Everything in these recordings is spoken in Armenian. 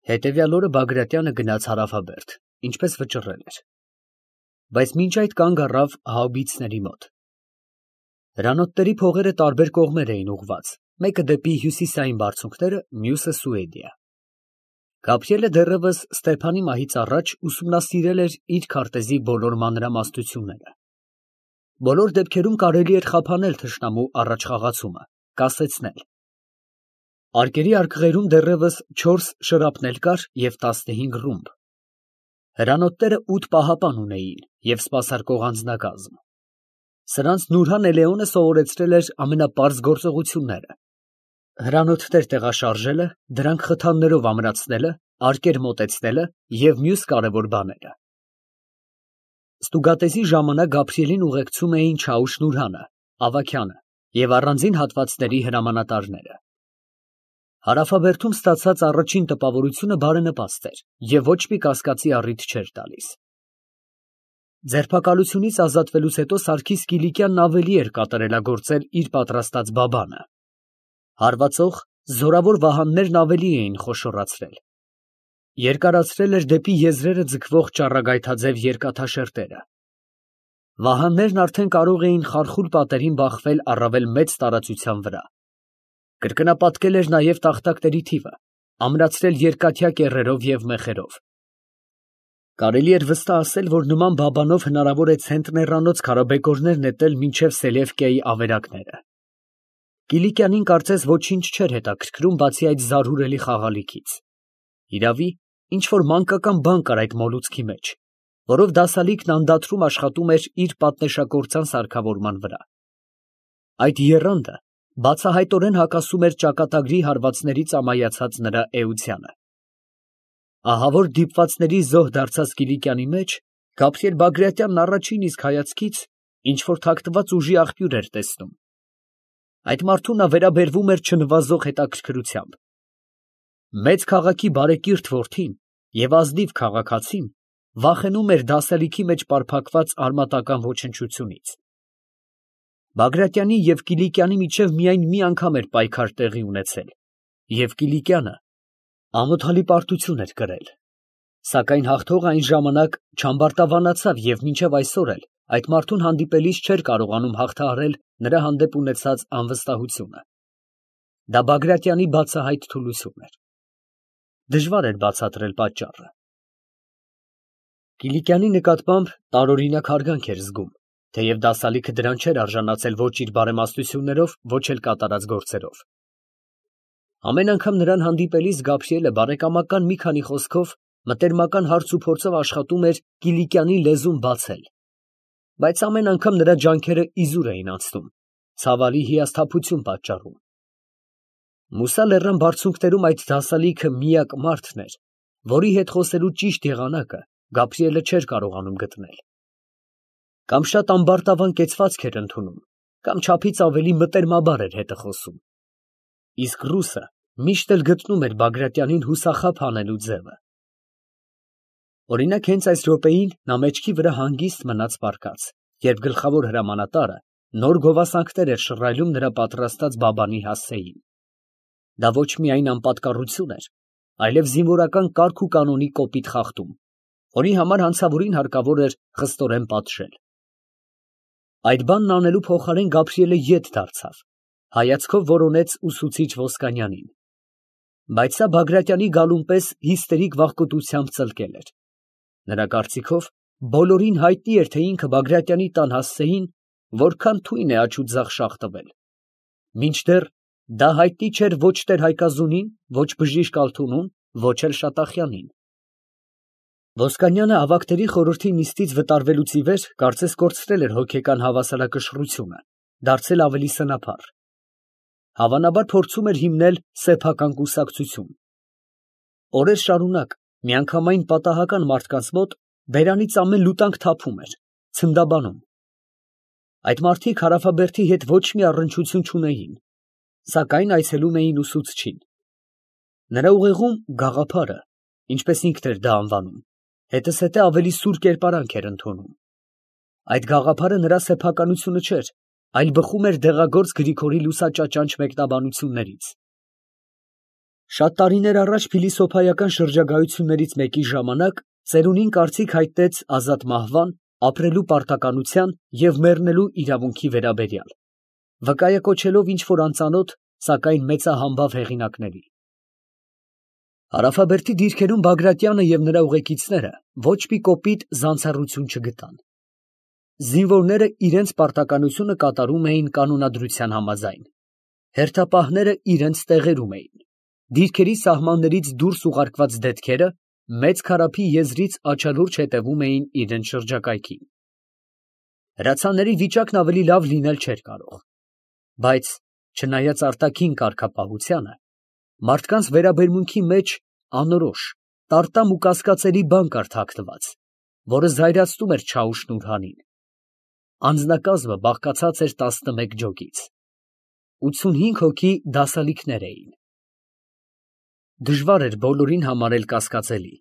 Հետևյալ օրը Բագրատյանը գնաց Հարավաբերդ, ինչպես վճռել էր, բայց մինչ այդ կանգ առավ հաուբիցների մոտ։ Հրանոթների փողերը տարբեր կողմեր էին ուղղված, մեկը դեպի հյուսիսային բարձունքները, մյուսը Սուեդիա։ Գաբրիելը դեռևս Ստեփանի մահից առաջ ուսումնասիրել էր իր քարտեզի բոլոր մանրամասնությունները։ Բոլոր դեպքերում կարելի էր խափանել թշնամու առաջխաղացումը, կասեցնել։ Արկերի արկղերում դեռևս 4 շրապնել կար և 15 ռումբ։ Հրանոթները 8 պահապան ունեին և սպասարկող անձնակազմ։ Սրանց Նուրհան Էլեոնը սովորեցրել էր ամենապարզ գործողությունները. հրանոթներ տեղաշարժելը, դրանք խթաններով ամրացնելը, արկեր մոտեցնելը և մյուս կարևոր բաները։ Ստուգատեսի ժամանակ Գաբրիելին ուղեկցում էին Չաուշ Նուրհանը, Ավագյանը և առանձին հատվածների հրամանատարները։ Հարավաբերդում ստացած առաջին տպավորությունը բարենպաստ էր և ոչ մի կասկածի առիթ չէր տալիս։ Ձերբակալությունից ազատվելուց հետո Սարգիս Կիլիկյանն ավելի էր կատարելագործել իր պատրաստած բաբանը։ Հարվածող, զորավոր վահաններն ավելի էին խոշորացրել։ Երկարացրել էր դեպի եզրերը ձգվող ճառագայթաձև երկաթաշերտերը։ Վահաններն արդեն կարող էին խարխուլ պատերին բախվել առավել մեծ տարածության վրա։ Կրկնապատկել էր նաև տախտակների թիվը, ամրացրել երկաթյա կեռերով և մեխերով։ Կարելի էր վստահ ասել, որ նման բաբանով հնարավոր է ցենտրերանոց քարաբեկորներ նետել մինչև Սելևկիայի ավերակները։ Կիլիկյանին կարծես ոչինչ չէր հետաքրքրում, բացի այդ զարհուրելի խաղալիքից։ Իրավի, ինչ֊որ մանկական բան կար այդ մոլուցքի մեջ, որով դասալիքն անդադրում աշխատում էր իր պատնեշակործան սարքավորման վրա։ Այդ եռանդը բացահայտորեն հակասում էր ճակատագրի հարվածներից ամայացած նրա էությանը։ Ահա որ դիպվածների զոհ դարձած Կիլիկյանի մեջ Գաբրիել Բագրատյանն առաջին իսկ հայացքից ինչ֊որ թաքնված ուժի աղբյուր էր տեսնում։ Այդ մարդուն նա վերաբերվում էր չնվազող հետաքրքրությամբ։ Մեծ քաղաքի բարեկիրթ որդին և ազնիվ քաղաքացին վախենում էր դասալիքի մեջ պարփակված արմատական ոչնչությունից։ Բագրատյանի և Կիլիկյանի միջև միայն մի անգամ էր պայքար տեղի ունեցել, և Կիլիկյանը ամոթալի պարտություն էր կրել, սակայն հաղթողը այն ժամանակ չամբարտավանացավ և մինչև այսօր էլ այդ մարդուն հանդիպելիս չէր կարողանում հաղթահարել նրա հանդեպ ունեցած անվստահությունը։ Դա Բագրատյանի բացահայտ թուլություն էր։ Դժվար էր բացատրել պատճառը։ Կիլիկյանի նկատմամբ տարօրինակ հարգանք էր զգում, թեև դասալիքը դրան չէր արժանացել ոչ իր բարեմաստություններով, ոչ էլ կատարած գործերով։ Ամեն անգամ նրան հանդիպելիս Գաբրիելը բարեկամական մի քանի խոսքով, մտերմական հարցուփորձով աշխատում էր Կիլիկյանի լեզուն բացել, բայց ամեն անգամ նրա ջանքերը իզուր էին անցնում, ցավալի հիասթափություն պատճառում։ Մուսա լեռան բարձունքներում այդ դասալիքը միակ մարդն էր, որի հետ խոսելու ճիշտ եղանակը Գաբրիելը չէր կարողանում գտնել։ Կամ շատ ամբարտավան կեցվածք էր ընդունում, կամ չափից ավելի մտերմաբար էր հետը խոսում։ Իսկ ռուսը միշտ էլ գտնում էր Բագրատյանին հուսախաբ հանելու ձևը։ Օրինակ, հենց այս րոպեին նա մեջքի վրա հանգիստ մնաց պառկած, երբ գլխավոր հրամանատարը նոր գովասանքներ էր շռայլում նրա պատրաստած բաբանի հասցեին։ Դա ոչ միայն անպատկառություն էր, այլև զինվորական կարգ ու կանոնի կոպիտ խախտում, որի համար հանցավորին հարկավոր էր խստորեն պատժել։ Այդ բանն անելու փոխարեն Գաբրիելը ետ դարձավ, հայացքով որոնեց ուսուցիչ Ոսկանյանին։ Բայց սա Բագրատյանի գալուն պես հիստերիկ վախկոտությամբ ծլկել էր։ Նրա կարծիքով բոլորին հայտնի էր, թե ինքը Բագրատյանի տան հասցեին որքան թույն է աջ ու ձախ շաղ տվել, մինչդեռ դա հայտնի չէր ոչ Տեր-Հայկազունին, ոչ բժիշկ Ալթունուն, ոչ էլ Շատախյանին։ Ոսկանյանը ավագների խորհրդի նիստից վտարվելուց ի վեր կարծես կորցրել էր հոգեկան հավասարակշռությունը, դարձել ավելի սնափառ։ Հավանաբար փորձում էր հիմնել սեփական կուսակցություն։ Օրեր շարունակ միանգամայն պատահական մարդկանց մոտ բերանից ամեն լուտանք թափում էր, ցնդաբանում։ Այդ մարդիկ Հարավաբերդի հետ ոչ մի առնչություն չունեին, սակայն այցելում էին ուսուցչին։ Նրա ուղեղում գաղափարը, ինչպես ինքն էր դա անվանում, հետզհետե ավելի սուր կերպարանք էր ընդունում։ Այդ գաղափարը նրա սեփականությունը չէր, այլ բխում էր դեղագործ Գրիգորի լուսաճաճանճ մեկնաբանություններից։ Շատ տարիներ առաջ փիլիսոփայական շրջագայություններից մեկի ժամանակ ծերունին կարծիք հայտնեց ազատ մահվան, ապրելու պարտականության և մեռնելու իրավունքի վերաբերյալ, վկայակոչելով ինչ-որ անծանոթ, սակայն մեծահամբավ հեղինակների։ Հարավաբերդի դիրքերում Բագրատյանը և նրա ուղեկիցները ոչ մի կոպիտ զանցառություն չգտան։ Զինվորները իրենց պարտականությունը կատարում էին կանոնադրության համաձայն, հերթապահները իրենց տեղերում էին, դիրքերի սահմաններից դուրս ուղարկված դետքերը մեծ քարափի եզրից աչալուրջ հետևում էին իրենց շրջակայքին։ Հրացանների վիճակն ավելի լավ լինել չէր կարող, բայց չնայած արտաքին կարգապահությանը, մարդկանց վերաբերմունքի մեջ անորոշ, տարտամ ու կասկածելի բան կար թաքնված, որը զայրացնում էր Չաուշ֊Նուրհանին։ Անձնակազմը բաղկացած էր 11 ջոկից, 85 հոգի դասալիկներ էին։ Դժվար էր բոլորին համարել կասկածելի,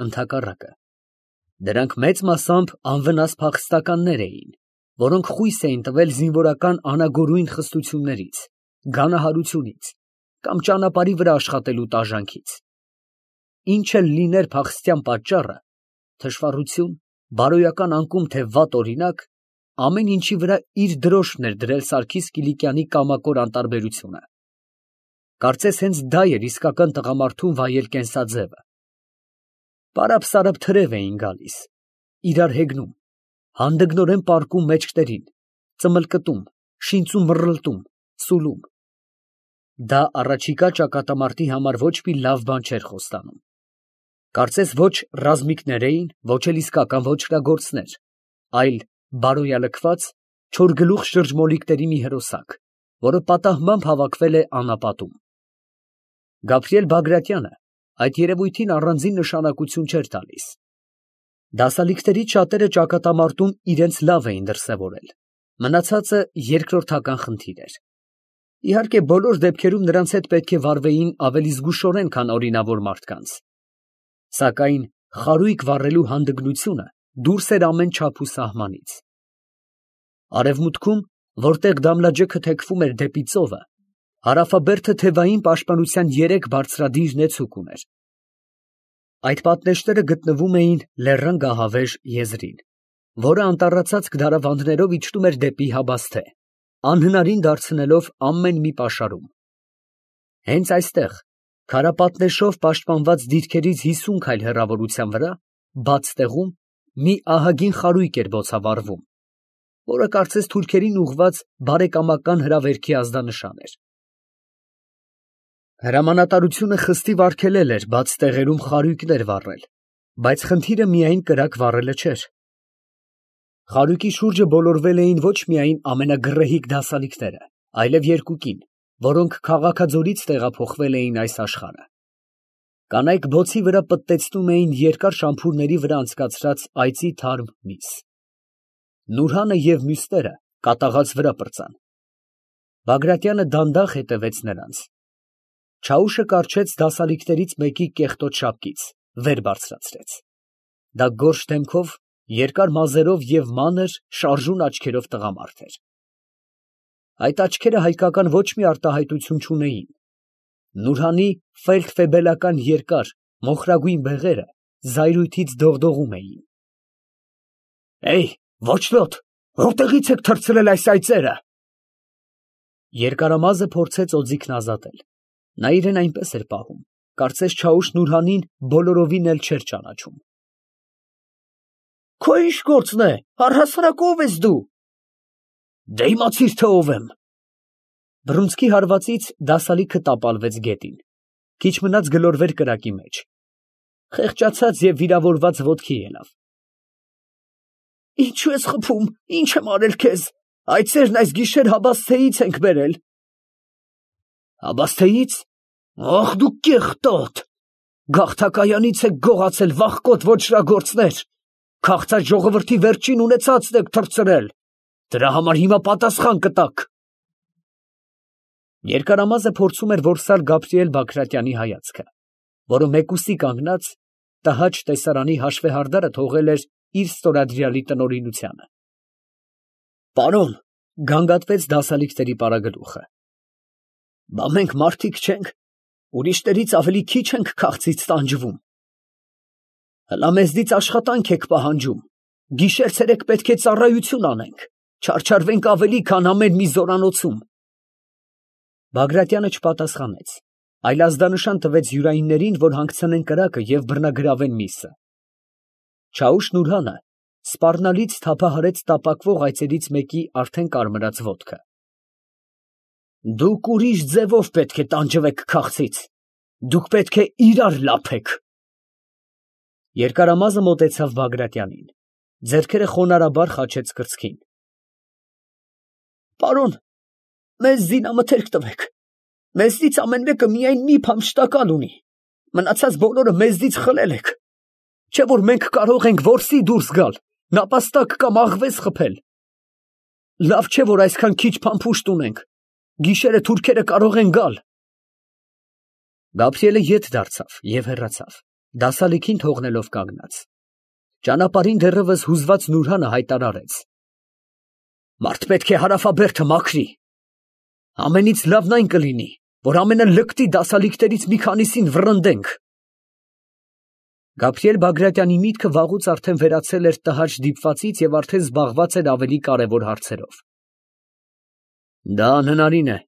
ընդհակառակը, դրանք մեծ մասամբ անվնաս փախստականներ էին, որոնք խույս էին տվել զինվորական անագորույն խստություններից, գանահարությունից կամ ճանապարհի վրա աշխատելու տաժանքից։ Ինչ էլ լիներ փախստյան պատճառը, թշվառություն, բարոյական անկում թե վատ օրինակ, ամեն ինչի վրա իր դրոշն էր դրել Սարգիս Կիլիկյանի կամակոր անտարբերությունը։ Կարծես հենց դա էր իսկական տղամարդուն վայել կենսաձևը։ Պարապ-սարապ թրև էին գալիս, իրար հեգնում, հանդգնորեն պառկում մեջքներին, ծմլկտում, շինծու մռլտում, սուլում։ Դա առաջիկա ճակատամարտի համար ոչ մի լավ բան չէր խոստանում։ Կարծես ոչ ռազմիկներ էին, ոչ էլ իսկական ոճրագործներ, այլ բարոյալքված, չորգլուխ շրջմոլիկների մի հրոսակ, որը պատահմամբ հավաքվել է անապատում։ Գաբրիել Բագրատյանը այդ երևույթին առանձին նշանակություն չէր տալիս։ Դասալիկներից շատերը ճակատամարտում իրենց լավ էին դրսևորել, մնացածը երկրորդական խնդիր էր։ Իհարկե, բոլոր դեպքերում նրանց հետ պետք է վարվեին ավելի զգուշորեն, քան օրինավոր մարդկանց։ Սակայն խարույկ վառելու հանդգնությունը դուրս էր ամեն չափ ու սահմանից։ Արևմուտքում, որտեղ Դամլաջեքը թեքվում էր դեպի ծովը, հարավաբերդը թևային պաշտպանության 3 բարձրադիր նեցուկ ուներ։ Այդ պատնեշները գտնվում էին Լեռան գահավեժ եզրին, որը անտառացած դարավանդներով իջնում էր դեպի Հաբասթե, անհնարին դարձնելով ամեն մի պաշարում։ Հենց այստեղ, քարապատնեշով պաշտպանված դիրքերից 50 քայլ հեռավորության վրա, բաց տեղում, մի ահագին խարույկ էր բոցավառվում, որը կարծես թուրքերին ուղղված բարեկամական հրավերքի ազդանշան էր։ Հրամանատարությունը խստիվ արգելել էր բաց տեղերում խարույկներ վառել, բայց խնդիրը միայն կրակ վառելը չէր։ Խարույկի շուրջը բոլորվել էին ոչ միայն ամենագռեհիկ դասալիկները, այլև երկուկին, որոնք քաղաքաձորից տեղափոխվել էին այս աշխարհը։ Կանայք բոցի վրա պտտեցնում էին երկար շամփուրների վրա անցկացրած այծի թարմ միս։ Նուրհանը և մյուսները կատաղած վրա պրծան։ Բագրատյանը դանդաղ հետևեց նրանց։ Չաուշը կառչեց դասալիկներից մեկի կեղտոտ շապկից, վեր բարձրացրեց։ Դա գորշ դեմքով, երկար մազերով և մանր, շարժուն աչքերով տղամարդ էր։ Այդ աչքերը հայկական ոչ մի արտահայտություն չունեին։ Նուրհանի ֆելդֆեբելական երկար, մոխրագույն բեղերը զայրույթից դողդողում էին։ Ոչլոտ, որտեղից եք թռցրել այս այծերը։ Երկարամազը փորձեց օձիքն ազատել։ Նա իրեն այնպես էր պահում, կարծես Չաուշ֊Նուրհանին բոլորովին էլ չէր ճանաչում։ Քո ի՞նչ գործն է, առհասարակ ով ես դու։ Դե իմացիր, թե ով եմ։ Բռունցքի հարվածից դասալիքը տապալվեց գետին, քիչ մնաց գլորվեր կրակի մեջ, խեղճացած և վիրավորված ոտքի ելավ։ Ինչու ես խփում, ինչ եմ արել քեզ, այծերն այս գիշեր Հաբասթեից ենք բերել։ Հաբասթեից։ Ախ դու կեղտոտ, գաղթակայանից եք գողացել, վախկոտ ոճրագործներ, քաղցած ժողովրդի վերջին ունեցածն եք թռցրել, դրա համար հիմա պատասխան կտաք։ Երկարամազը փորձում էր որսալ Գաբրիել Բագրատյանի հայացքը, որը մեկուսի կանգնած տհաճ տեսարանի հաշվեհարդարը թողել էր իր ստորադրյալի տնօրինությանը։ Պարոն, գանգատվեց դասալիկների պարագլուխը, բա մենք մարդիկ չենք, ուրիշներից ավելի քիչ ենք քաղցից տանջվում։ Հլա մեզնից աշխատանք եք պահանջում, գիշեր֊ցերեկ պետք է ծառայություն անենք, չարչարվենք ավելի, քան ամեն մի զորանոցում։ Բագրատյանը չպատասխանեց, այլ ազդանշան տվեց յուրայիններին, որ հանգցնեն կրակը և բռնագրավեն միսը։ Չաուշ-Նուրհանը սպառնալից թափահարեց տապակվող այծերից մեկի արդեն կարմրած ոտքը։ Դուք ուրիշ ձևով պետք է տանջվեք քաղցից, դուք պետք է իրար լափեք։ Երկարամազը մոտեցավ Բագրատյանին, ձեռքերը խոնարհաբար խաչեց կրծքին։ Պարոն, մեզ զինամթերք տվեք, մեզնից ամեն մեկը միայն մի փամփշտակալ ունի, մնացած բոլորը մեզնից խլել եք, չէ որ մենք կարող ենք որսի դուրս գալ, նապաստակ կամ աղվես խփել։ Լավ չէ որ այսքան քիչ փամփուշտ ունենք, գիշերը թուրքերը կարող են գալ։ Գաբրիելը ետ դարձավ և հեռացավ, դասալիքին թողնելով կանգնած։ Ճանապարհին դեռևս հուզված Նուրհանը հայտարարեց. Մարդ պետք է հարավաբերդը մաքրի։ Ամենից լավն այն կլինի, որ ամենը լկտի դասալիքներից մի քանիսին վռնդենք։ Գաբրիել Բագրատյանի միտքը վաղուց արդեն վերացել էր տհաճ դիպվածից և արդեն զբաղված էր ավելի կարևոր հարցերով։ Դա անհնարին է,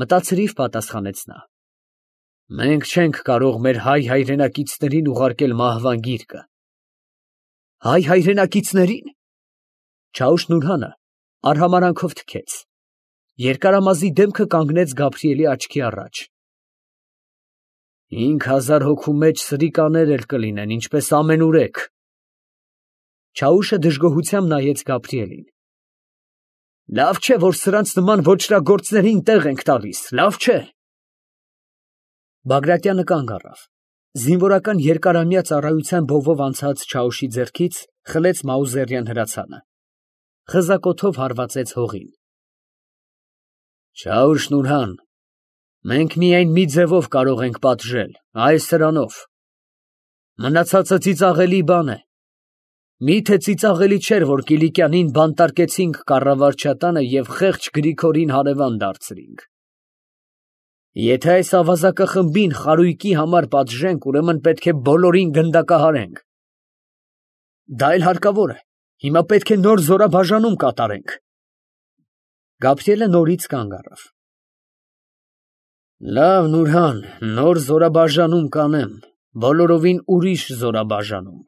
մտածրիվ պատասխանեց նա։ Մենք չենք կարող մեր հայ հայրենակիցներին ուղարկել մահվան գիրկը։ Հայ հայրենակիցներին։ Չաուշ-Նուրհանը արհամարանքով թքեց։ Երկարամազի դեմքը կանգնեց Գաբրիելի աչքի առաջ։ 5000 հոգու մեջ սրիկաներ էլ կլինեն, ինչպես ամենուրեք։ Չաուշը դժգոհությամբ նայեց Գաբրիելին։ Լավ չէ, որ սրանց նման ոճրագործներին տեղ ենք տալիս, լավ չէ։ Բագրատյանը կանգ առավ, զինվորական երկարամյա ծառայության բովով անցած Չաուշի ձեռքից խլեց Մաուզերյան հրացանը, խզակոթով հարվածեց հողին։ Չաուշ-Նուրհան, մենք միայն մի ձևով կարող ենք պատժել, այս սրանով։ Մնացածը ծիծաղելի բան է։ Միթե ծիծաղելի չէր, որ Կիլիկյանին բանտարկեցինք կառավարչատանը և խեղճ Գրիգորին հարևան դարձրինք։ Եթե այս ավազակախմբին խարույկի համար պատժենք, ուրեմն պետք է բոլորին գնդակահարենք։ Դա էլ հարկավոր է, հիմա պետք է նոր զորաբաժանում կատարենք։ Գաբրիելը նորից կանգ առավ։ Լավ, Նուրհան, նոր զորաբաժանում կանեմ, բոլորովին ուրիշ զորաբաժանում։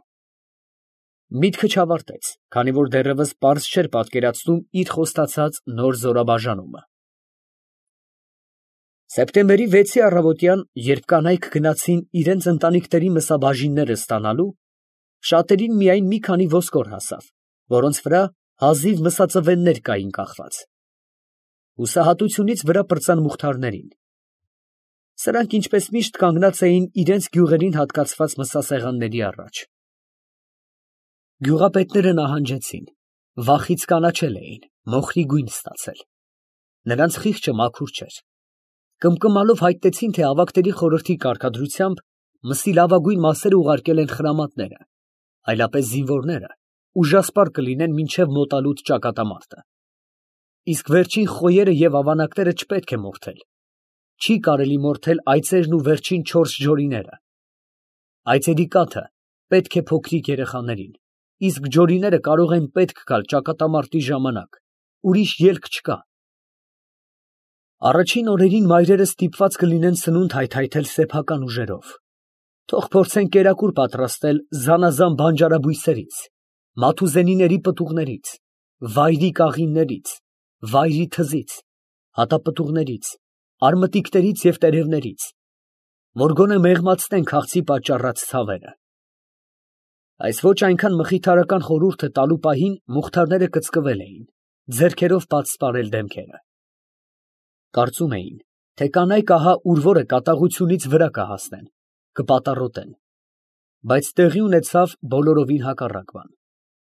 Միտքը չավարտեց, քանի որ դեռևս պարզ չէր պատկերացնում իր խոստացած նոր զորաբաժանումը։ Սեպտեմբերի 6-ի առավոտյան, երբ կանայք գնացին իրենց ընտանիքների մսաբաժինները ստանալու, շատերին միայն մի քանի ոսկոր հասավ, որոնց վրա հազիվ մսածվեններ կային կախված։ Հուսահատությունից վրա պրծան Մուխթարներին։ Սրանք ինչպես միշտ կանգնած էին իրենց գյուղերին հատկացված մսասեղանների առաջ։ Գյուղապետները նահանջեցին, վախից կանաչել էին, մոխրի գույն ստացել։ Նրանց խիղճը մաքուր չէր։ Կմկմալով հայտնեցին, թե ավագների խորհրդի կարգադրությամբ մսի լավագույն մասերը ուղարկել են խրամատները, այլապես զինվորները ուժասպառ կլինեն մինչև մոտալուտ ճակատամարտը։ Իսկ վերջին խոյերը և ավանակները չպետք է մորթել։ Չի կարելի մորթել այծերն ու վերջին 4 ջորիները։ Այծերի կաթը պետք է փոքրիկ երեխաներին, իսկ ջորիները կարող են պետք գալ ճակատամարտի ժամանակ, ուրիշ ելք չկա։ Առաջին օրերին մայրերը ստիպված կլինեն սնունդ հայթայթել սեփական ուժերով։ Թող փորձեն կերակուր պատրաստել զանազան բանջարաբույսերից, մաթուզենիների պտուղներից, վայրի կաղիններից, վայրի թզից, հատապտուղներից, արմտիկներից և տերևներից, որ գոնե մեղմացնեն քաղցի պատճառած ցավերը։ Այս ոչ այնքան մխիթարական խորհուրդը տալու պահին մուխթարները կծկվել էին, ձեռքերով պատսպարել դեմքերը։ Կարծում էին, թե կանայք ահա ուր որը կատաղությունից վրա կհասնեն, կպատառոտեն, բայց տեղի ունեցավ բոլորովին հակառակ բան։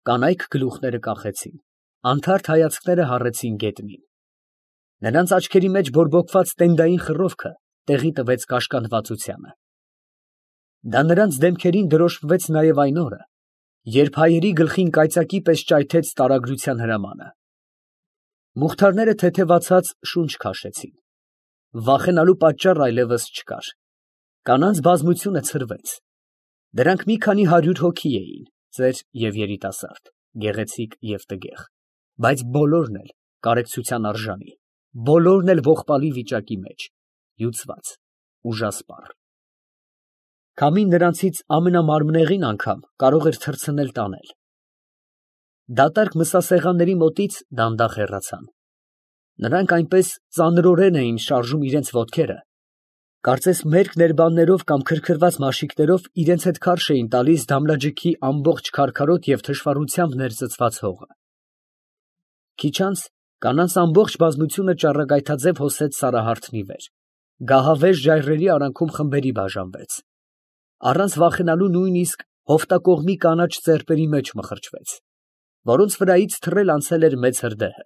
Կանայք գլուխները կախեցին, անթարթ հայացքները հառեցին գետնին։ Նրանց աչքերի մեջ բորբոքված տենդային խռովքը տեղի տվեց կաշկանդվածությանը։ Դա նրանց դեմքերին դրոշմվեց նաև այն օրը, երբ հայերի գլխին կայծակի պես ճայթեց տարագրության հրամանը։ Մուխթարները թեթևացած շունչ քաշեցին։ Վախենալու պատճառ այլևս չկար։ Կանանց բազմությունը ցրվեց. դրանք մի քանի 100 հոգի էին, ծեր և երիտասարդ, գեղեցիկ և տգեղ, բայց բոլորն էլ կարեկցության արժանի, բոլորն էլ ողբալի վիճակի մեջ, հյուծված, ուժասպառ։ Քամին նրանցից ամենամարմնեղին անգամ կարող էր թռցնել տանել։ Դատարկ մսասեղանների մոտից դանդաղ հեռացան։ Նրանք այնպես ծանրորեն էին շարժում իրենց ոտքերը, կարծես մերկ ներբաններով կամ քրքրված մաշիկներով իրենց հետ քարշ էին տալիս դամլաջիքի ամբողջ քարքարոտ և թշվառությամբ ներծծված հողը։ Քիչ անց կանանց ամբողջ բազմությունը ճառագայթաձև հոսեց Սարահարթի վեր, գահավեժ ժայռերի արանքում խմբերի բաժանվեց, առանց վախենալու նույնիսկ հովտակողմի կանաչ ծեպերի մեջ մխրճվեց, որոնց վրայից թռել անցել էր մեծ հրդեհը։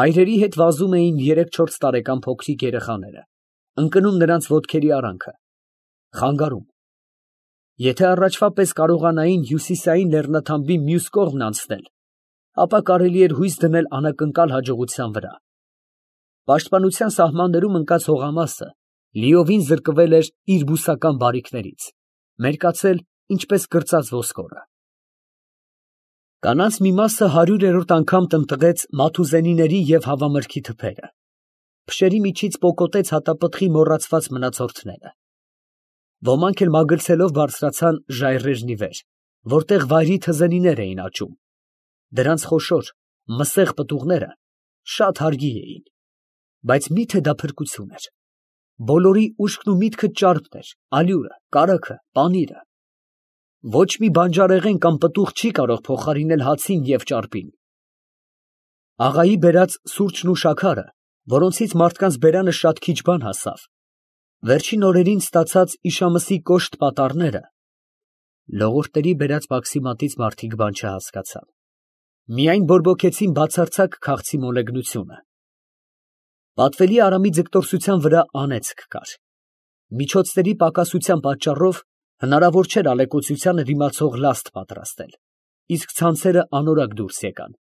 Մայրերի հետ վազում էին 3-4 տարեկան փոքրիկ երեխաները, ընկնում նրանց ոտքերի արանքը, խանգարում։ Եթե առաջվա պես կարողանային հյուսիսային լեռնաթամբի մյուս կողմն անցնել, ապա կարելի էր հույս դնել անակնկալ հաջողության վրա։ Պաշտպանության սահմաններում ընկած հողամասը լիովին զրկվել էր իր բուսական բարիքներից, մերկացել ինչպես կրծած ոսկորը։ Կանանց մի մասը 100-րդ անգամ տնտղեց Մաթուզենիների և հավամրգի թփերը, փշերի միջից պոկոտեց հատապտղի մոռացված մնացորդները։ Ոմանք էլ մագլցելով բարձրացան ժայռերն ի վեր, որտեղ վայրի թզենիներ էին աճում, դրանց խոշոր, մսեղ պտուղները շատ հարգի էին, բայց մի՞թե դա փրկություն էր։ Բոլորի ուշքն ու միտքը ճարպն էր, ալյուրը, կարագը, պանիրը։ Ոչ մի բանջարեղեն կամ պտուղ չի կարող փոխարինել հացին և ճարպին։ Աղայի բերած սուրճն ու շաքարը, որոնցից մարդկանց բերանը շատ քիչ բան հասավ, վերջին օրերին ստացած իշամսի կոշտ պատառները, լողորտերի բերած մաքսիմատից մարդիկ բան չհասկացան, միայն բորբոքեցին բացարձակ քաղցի մոլեգնությունը։ Պատվելի Արամի ձգտորսության վրա անեծք կար։ Միջոցների պակասության պատճառով հնարավոր չէր ալեկոծությանը դիմացող լաստ պատրաստել, իսկ ցանցերը անորակ դուրս եկան։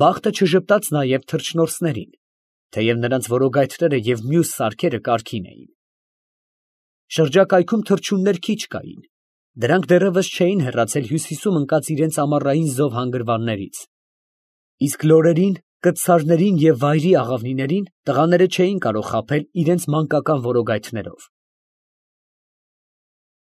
Բախտը չժպտաց նաև թռչնորսներին, թեև նրանց որոգայթները և մյուս սարքերը կարգին էին։ Շրջակայքում թռչուններ քիչ կային, դրանք դեռևս չէին հեռացել հյուսիսում ընկած իրենց ամառային զով հանգրվաններից, իսկ լորերին, կտցարներին և վայրի աղավնիներին տղաները չէին կարող խաբել իրենց մանկական որոգայթներով։